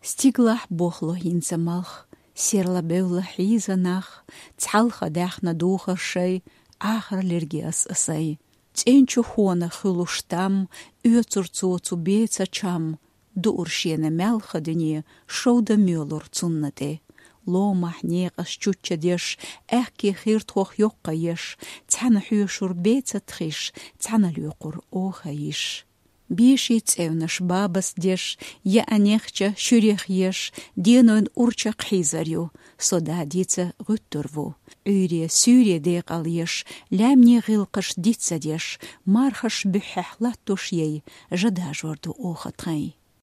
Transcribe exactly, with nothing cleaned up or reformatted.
Стигалахь бохло хӀинца малх, серла бевлла хьийза нах, цхьалха даьхна духар шай, Ӏахар лерге ас а сай. ЦӀенчу хона хуьлуш там, оьцур цо цу беца чам, дуур шена маьлха дуьне, шовда моьлур цунна тӀе. Ломахь некъаш чучча деш, аьхке хиртхох йоккха еш, цхьана хьоьшур беца тхиш, цхьана лоькхур оха йиш. Беши цӀевнаш бабас деш, яа нехча шуьрех еш, денойн урча кхьийзар ю, со да дица гӀуьттур ву. Ӏуьйре суьйре декъал еш, лаьмне гӀилкхаш дица деш, мархаш буьххьехь латтуш яй, жа дажор ду оха тхайн.